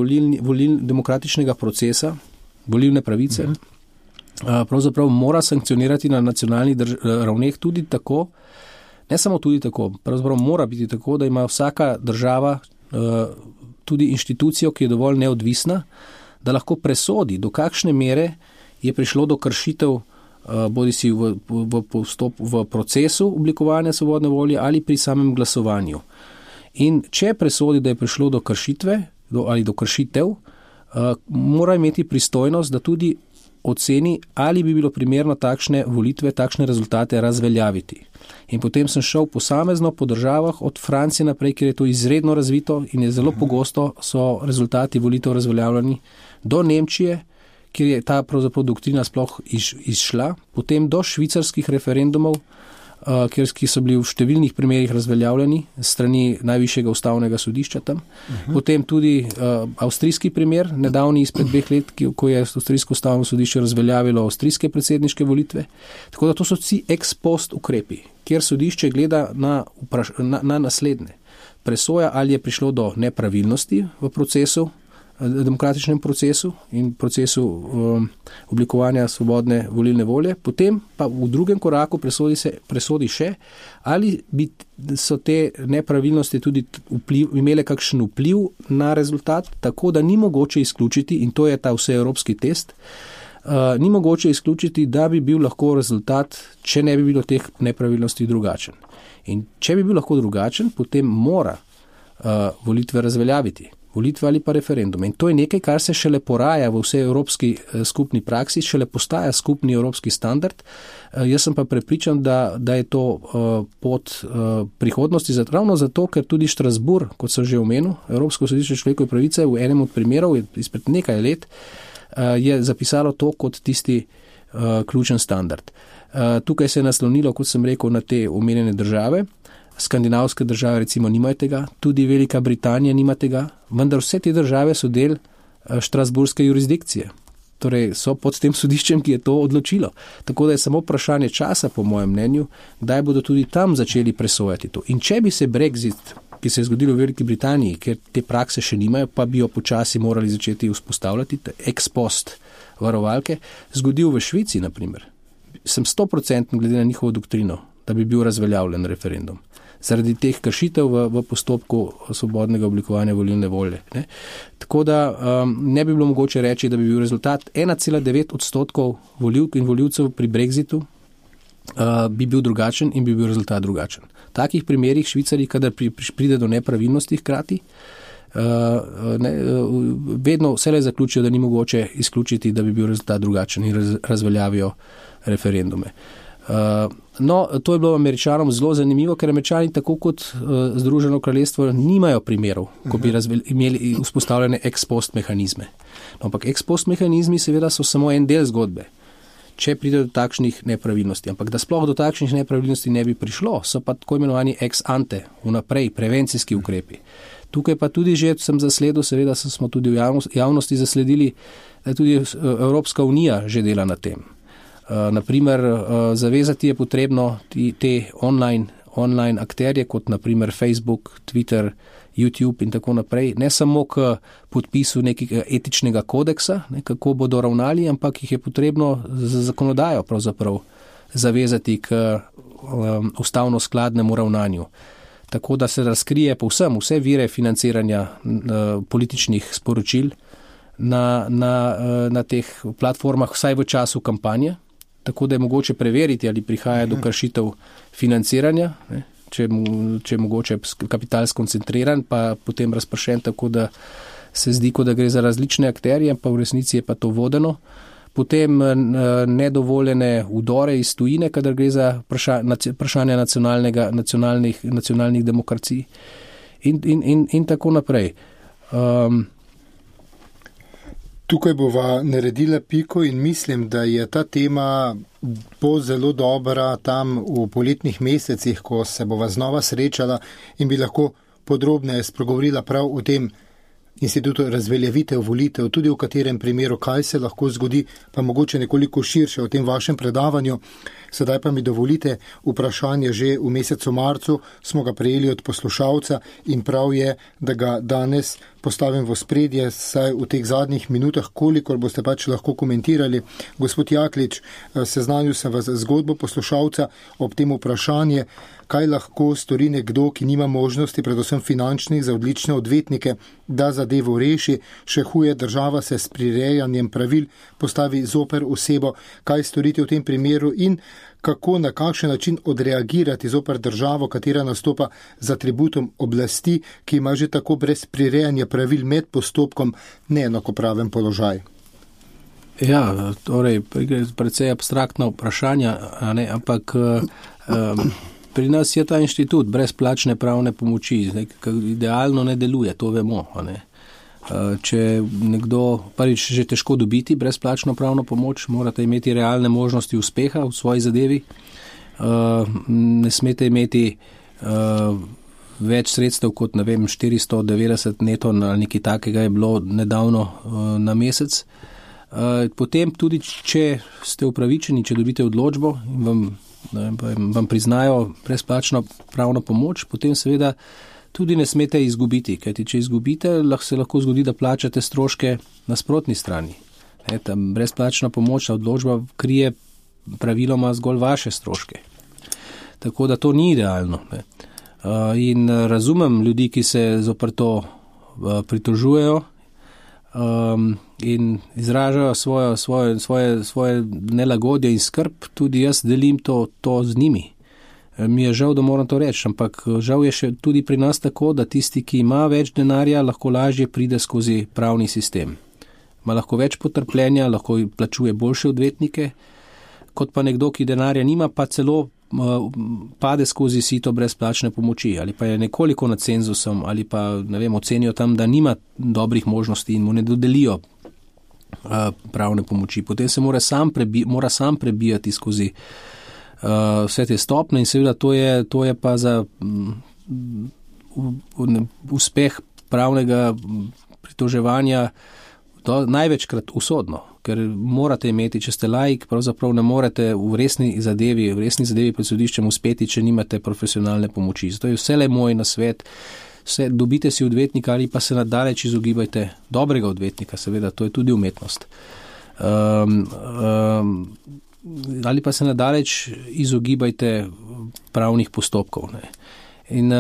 demokratičnega procesa, volilne pravice, pravzaprav mora sankcionirati na nacionalnih ravneh tudi tako, ne samo tudi tako, pravzaprav mora biti tako, da ima vsaka država tudi inštitucijo, ki je dovolj neodvisna, da lahko presodi, do kakšne mere je prišlo do kršitev bodisi v procesu oblikovanja svobodne volje ali pri samem glasovanju. In če presodi, da je prišlo do kršitve ali do kršitev, mora imeti pristojnost, da tudi oceni, ali bi bilo primerno takšne volitve, takšne rezultate razveljaviti. In potem sem šel posamezno po državah od Francije naprej, kjer je to izredno razvito in je zelo pogosto so rezultati volitev razveljavljeni, do Nemčije, kjer je ta pravzaprav doktrina sploh izšla, potem do švicarskih referendumov, ki so bili v številnih primerih razveljavljeni strani najvišjega ustavnega sodišča tam. Potem tudi avstrijski primer, nedavni izpred 2 let, ko je avstrijsko ustavno sodišče razveljavilo avstrijske predsedniške volitve. Tako da to so vsi ex post ukrepi, kjer sodišče gleda na naslednje. Presoja, ali je prišlo do nepravilnosti v procesu, demokratičnem procesu in procesu oblikovanja svobodne volilne volje, potem pa v drugem koraku presodi še, ali so te nepravilnosti tudi imele kakšen vpliv na rezultat, tako da ni mogoče izključiti, in to je ta vseevropski test, ni mogoče izključiti, da bi bil lahko rezultat, če ne bi bilo teh nepravilnosti, drugačen. In če bi bil lahko drugačen, potem mora volitve razveljaviti. Volitve ali pa referendume. In to je nekaj, kar se šele poraja v vsej evropski skupni praksi, šele postaja skupni evropski standard. Jaz sem pa prepričan, da je to pot prihodnosti, ravno zato, ker tudi Štrasburg, kot sem že omenil, Evropsko sodišče človekove pravice, v enem od primerov izpred nekaj let je zapisalo to kot tisti ključen standard. Tukaj se je naslonilo, kot sem rekel, na te omenjene države. Skandinavske države recimo nimajo tega, tudi Velika Britanija nima tega, vendar vse te države so del štrasburške jurisdikcije. Torej so pod tem sodiščem, ki je to odločilo. Tako da je samo vprašanje časa, po mojem mnenju, kdaj bodo tudi tam začeli presojati to. In če bi se Brexit, ki se je zgodil v Veliki Britaniji, ker te prakse še nimajo, pa bi jo počasi morali začeti vzpostavljati, ex post varovalke, zgodil v Švici, na primer, sem 100% glede na njihovo doktrino, da bi bil razveljavljen referendum. Zaradi teh kršitev v postopku svobodnega oblikovanja volilne volje. Ne? Tako da ne bi bilo mogoče reči, da bi bil rezultat 1,9% volivk in volivcev pri Brexitu bi bil drugačen in bi bil rezultat drugačen. V takih primerih Švicarji, kadar pride do nepravilnosti hkrati, vedno vselej zaključijo, da ni mogoče izključiti, da bi bil rezultat drugačen in razveljavijo referendume. No, to je bilo Američanom zelo zanimivo, ker Američani tako kot Združeno kraljestvo nimajo primerov, ko bi imeli vzpostavljene ex post mehanizme. No, ampak ex post mehanizmi seveda so samo en del zgodbe, če pride do takšnih nepravilnosti. Ampak da sploh do takšnih nepravilnosti ne bi prišlo, so pa tako imenovani ex ante, vnaprej, prevencijski ukrepi. Tukaj pa tudi že sem zasledil, seveda smo tudi v javnosti zasledili, da tudi Evropska unija že dela na tem. Naprimer, zavezati je potrebno te online akterje, kot naprimer Facebook, Twitter, YouTube in tako naprej, ne samo k podpisu nekega etičnega kodeksa, kako bodo ravnali, ampak jih je potrebno za zakonodajo pravzaprav zavezati k ustavno skladnemu ravnanju. Tako da se razkrije povsem vse vire financiranja političnih sporočil na teh platformah, vsaj v času kampanje. Tako da je mogoče preveriti, ali prihaja do kršitev financiranja, ne, če je mogoče kapital skoncentriran, pa potem razpršen, tako da se zdi, kot da gre za različne akterje, pa v resnici je pa to vodeno. Potem nedovoljene vdore iz tujine, kadar gre za vprašanja nacionalnih demokracij in tako naprej. Tukaj bova naredila piko in mislim, da je ta tema bo zelo dobra tam v poletnih mesecih, ko se bova znova srečala in bi lahko podrobneje spregovorila prav o tem institutu razveljavitev volitev, tudi v katerem primeru, kaj se lahko zgodi, pa mogoče nekoliko širše o tem vašem predavanju. Sedaj pa mi dovolite vprašanje, že v mesecu marcu smo ga prejeli od poslušalca in prav je, da ga danes postavim v spredje, saj v teh zadnjih minutah, kolikor boste pač lahko komentirali. Gospod Jaklič, seznanil sem vas zgodbo poslušalca ob tem vprašanje, kaj lahko stori nekdo, ki nima možnosti, predvsem finančnih, za odlične odvetnike, da zadevo reši. Še huje, država se s prirejanjem pravil postavi zoper osebo. Kaj storiti v tem primeru in kako, na kakšen način odreagirati zoper državo, katera nastopa z atributom oblasti, ki ima že tako brez prirejanja pravil med postopkom neenakopraven položaj? Ja, torej, precej abstraktna vprašanja, ampak pri nas je ta inštitut brezplačne pravne pomoči, idealno ne deluje, to vemo. Če nekdo, prvič že težko dobiti brezplačno pravno pomoč, morate imeti realne možnosti uspeha v svoji zadevi, ne smete imeti več sredstev kot, 490 neto ali nekaj takega je bilo nedavno na mesec. Potem tudi, če ste upravičeni, če dobite odločbo in vam priznajo brezplačno pravno pomoč, potem seveda tudi ne smete izgubiti, kajti če izgubite, se lahko zgodi, da plačate stroške na sprotni strani. Ta brezplačna pomoč, odločba krije praviloma zgolj vaše stroške. Tako da to ni idealno. In razumem ljudi, ki se zoper to pritožujejo in izražajo svoje nelagodje in skrb, tudi jaz delim to z njimi. Mi je žal, da moram to reči, ampak žal je še tudi pri nas tako, da tisti, ki ima več denarja, lahko lažje pride skozi pravni sistem. Ima lahko več potrpljenja, lahko plačuje boljše odvetnike, kot pa nekdo, ki denarja nima, pa celo pade skozi sito brezplačne pomoči ali pa je nekoliko nad cenzusom ali pa, ocenijo tam, da nima dobrih možnosti in mu ne dodelijo pravne pomoči. Potem se mora sam prebijati skozi vse te stopne in seveda to je pa za uspeh pravnega pritoževanja največkrat usodno, ker morate imeti, če ste laik, pravzaprav ne morete v resni zadevi pred sodiščem uspeti, če nimate profesionalne pomoči. Zato je vselej moj nasvet, dobite si odvetnika ali pa se nadaleč izogibajte dobrega odvetnika, seveda, to je tudi umetnost. Ali pa se nadaleč izogibajte pravnih postopkov. In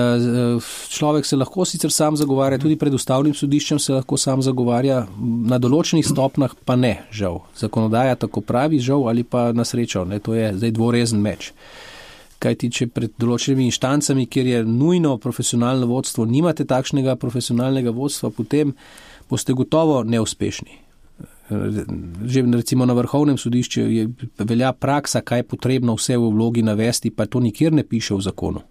človek se lahko sicer sam zagovarja, tudi pred ustavnim sodiščem se lahko sam zagovarja, na določenih stopnah pa ne, žal. Zakonodaja tako pravi, žal, ali pa na srečo, to je zdaj dvorezen meč. Kajti, če pred določenimi inštancami, kjer je nujno profesionalno vodstvo, nimate takšnega profesionalnega vodstva, potem boste gotovo neuspešni. Že recimo na Vrhovnem sodišču velja praksa, kaj je potrebno vse v vlogi navesti, pa to nikjer ne piše v zakonu.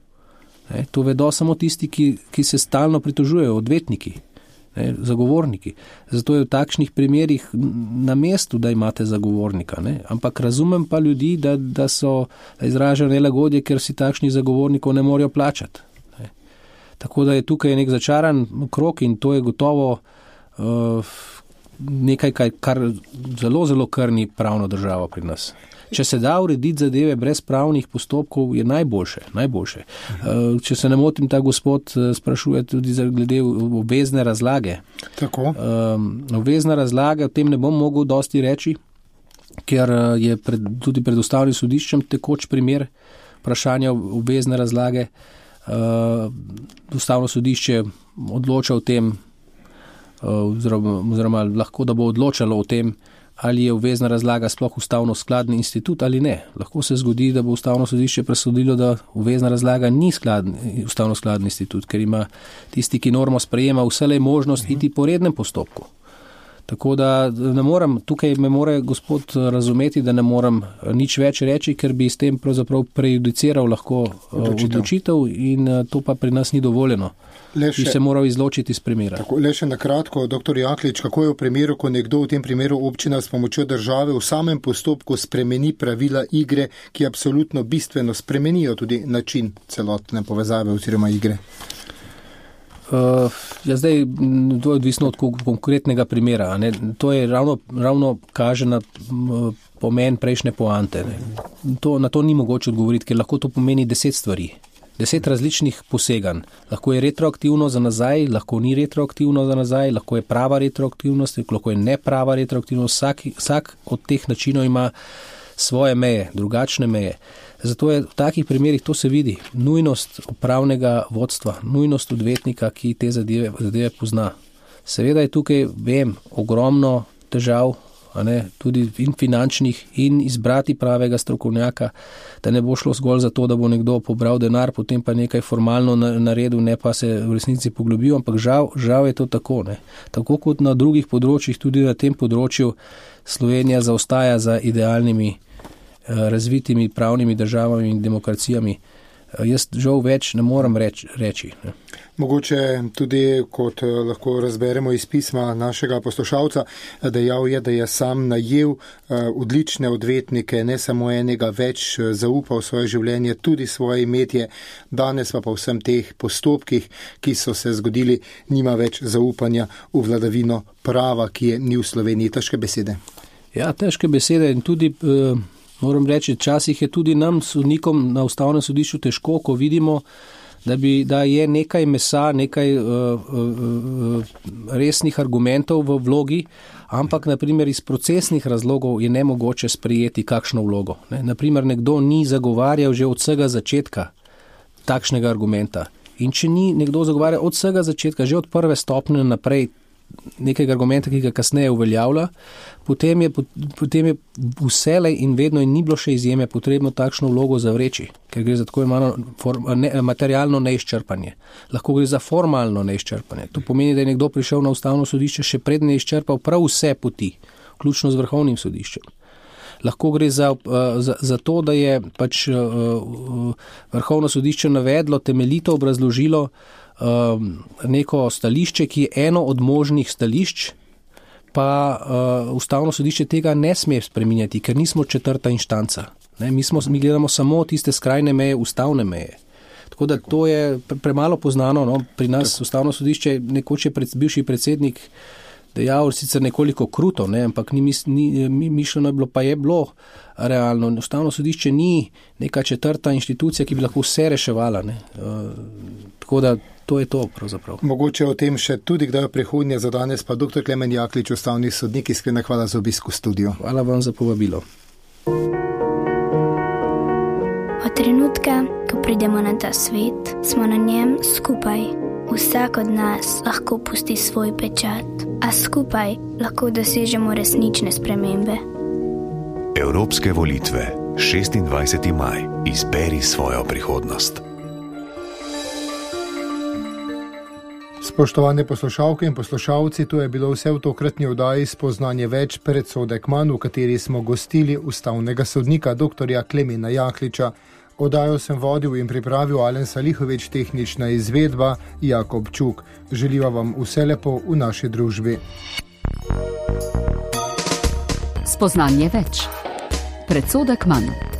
To vedo samo tisti, ki se stalno pritožujejo, odvetniki, zagovorniki. Zato je v takšnih primerih na mestu, da imate zagovornika. Ampak razumem pa ljudi, da izražajo nelagodje, ker si takšnih zagovornikov ne morejo plačati. Tako da je tukaj nek začaran krog in to je gotovo nekaj, kar zelo, zelo krni pravno državo pri nas. Če se da urediti zadeve brez pravnih postopkov, je najboljše. Če se ne motim, ta gospod sprašuje tudi glede obvezne razlage. Tako. Obvezna razlaga, o tem ne bom mogel dosti reči, ker je tudi pred ustavnim sodiščem tekoč primer vprašanja obvezne razlage. Ustavno sodišče odloča o tem, oziroma lahko da bo odločalo o tem, ali je obvezna razlaga sploh ustavno skladni institut ali ne. Lahko se zgodi, da bo ustavno sodišče presodilo, da obvezna razlaga ni ustavno skladni institut, ker ima tisti, ki normo sprejema, vselej možnost iti po rednem postopku. Tako da ne morem, tukaj me mora gospod razumeti, da ne morem nič več reči, ker bi s tem pravzaprav prejudiciral lahko odločitev in to pa pri nas ni dovoljeno. Bi se moral izločiti iz primera. Tako, le še na kratko, dr. Jaklič, kako je v primeru, ko nekdo, v tem primeru občina s pomočjo države v samem postopku spremeni pravila igre, ki absolutno bistveno spremenijo tudi način celotne povezave oziroma igre? Zdaj, to je odvisno od konkretnega primera. To je ravno kaže na pomen prejšnje poante. Na to ni mogoče odgovoriti, ker lahko to pomeni 10 stvari. 10 različnih poseganj. Lahko je retroaktivno za nazaj, lahko ni retroaktivno za nazaj, lahko je prava retroaktivnost, lahko je neprava retroaktivnost. Vsak od teh načinov ima svoje meje, drugačne meje. Zato je v takih primerih, to se vidi, nujnost upravnega vodstva, nujnost odvetnika, ki te zadeve pozna. Seveda je tukaj, ogromno težav, tudi in finančnih, in izbrati pravega strokovnjaka, da ne bo šlo zgolj za to, da bo nekdo pobral denar, potem pa nekaj formalno naredil, ne pa se v resnici poglobil, ampak žal je to tako. Ne. Tako kot na drugih področjih, tudi na tem področju Slovenija zaostaja za idealnimi, razvitimi pravnimi državami in demokracijami. Jaz žal več ne morem reči. Ne. Mogoče tudi, kot lahko razberemo iz pisma našega poslušalca, dejal je, da je sam najel odlične odvetnike, ne samo enega, več zaupal svoje življenje, tudi svoje imetje. Danes pa po vsem teh postopkih, ki so se zgodili, nima več zaupanja v vladavino prava, ki je ni v Sloveniji. Težke besede. Ja, težke besede in tudi moram reči, včasih je tudi nam, sodnikom na Ustavnem sodišču, težko, ko vidimo, da je nekaj mesa, nekaj resnih argumentov v vlogi, ampak naprimer iz procesnih razlogov je nemogoče sprejeti kakšno vlogo. Naprimer, nekdo ni zagovarjal že od vsega začetka takšnega argumenta. In če ni nekdo zagovarjal od vsega začetka, že od prve stopnje naprej, nekega argumenta, ki ga kasneje uveljavlja, potem je vselej in vedno in ni bilo še izjeme potrebno takšno vlogo zavreči, ker gre za tako imenovano materialno neizčrpanje. Lahko gre za formalno neizčrpanje. To pomeni, da je nekdo prišel na Ustavno sodišče še predne izčrpal prav vse poti, vključno z Vrhovnim sodiščem. Lahko gre za to, da je pač Vrhovno sodišče navedlo, temeljito obrazložilo neko stališče, ki je eno od možnih stališč, pa Ustavno sodišče tega ne sme spreminjati, ker nismo četrta inštanca. Mi gledamo samo tiste skrajne meje, ustavne meje. Tako da to je premalo poznano. No? Pri nas Ustavno sodišče, nekoč je bivši predsednik dejal, sicer nekoliko kruto, ampak ni mišljeno je bilo, pa je bilo realno. Ustavno sodišče ni neka četrta inštitucija, ki bi lahko vse reševala. Tako da to je to pravzaprav. Mogoče o tem še tudi kdaj v prihodnje, za danes pa dr. Klemen Jaklič, ustavni sodnik, iskrena hvala za obisk v studiu. Hvala vam za povabilo. Od trenutka, ko pridemo na ta svet, smo na njem skupaj. Vsak od nas lahko pusti svoj pečat, a skupaj lahko dosežemo resnične spremembe. Evropske volitve, 26. maj. Izberi svojo prihodnost. Spoštovane poslušalke in poslušalci, to je bilo vse v tokratni oddaji Spoznanje več, predsodek manj, v kateri smo gostili ustavnega sodnika dr. Klemena Jakliča. Oddajo sem vodil in pripravil Alen Salihovič, tehnična izvedba Jakob Čuk. Želiva vam vse lepo v naši družbi. Spoznanje več, predsodek manj.